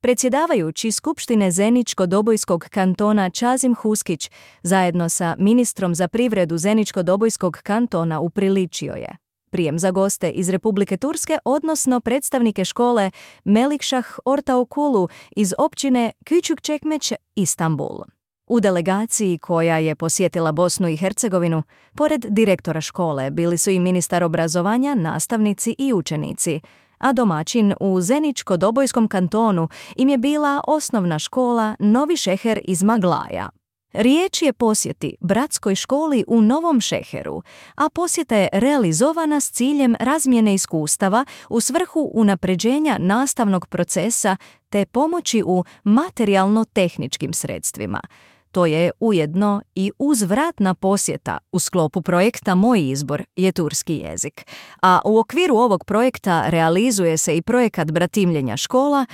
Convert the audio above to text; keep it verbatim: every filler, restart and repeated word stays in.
Predsjedavajući Skupštine Zeničko-Dobojskog kantona Čazim Huskić zajedno sa ministrom za privredu Zeničko-Dobojskog kantona upriličio je prijem za goste iz Republike Turske, odnosno predstavnike škole Melikšah Ortaokulu iz općine Küçükçekmece, Istanbul. U delegaciji koja je posjetila Bosnu i Hercegovinu, pored direktora škole bili su i ministar obrazovanja, nastavnici i učenici, a domaćin u Zeničko-Dobojskom kantonu im je bila osnovna škola Novi Šeher iz Maglaja. Riječ je posjeti bratskoj školi u Novom Šeheru, a posjeta je realizovana s ciljem razmjene iskustava u svrhu unapređenja nastavnog procesa te pomoći u materijalno-tehničkim sredstvima. To je ujedno i uzvratna posjeta u sklopu projekta Moj izbor je turski jezik. A u okviru ovog projekta realizuje se i projekat bratimljenja škola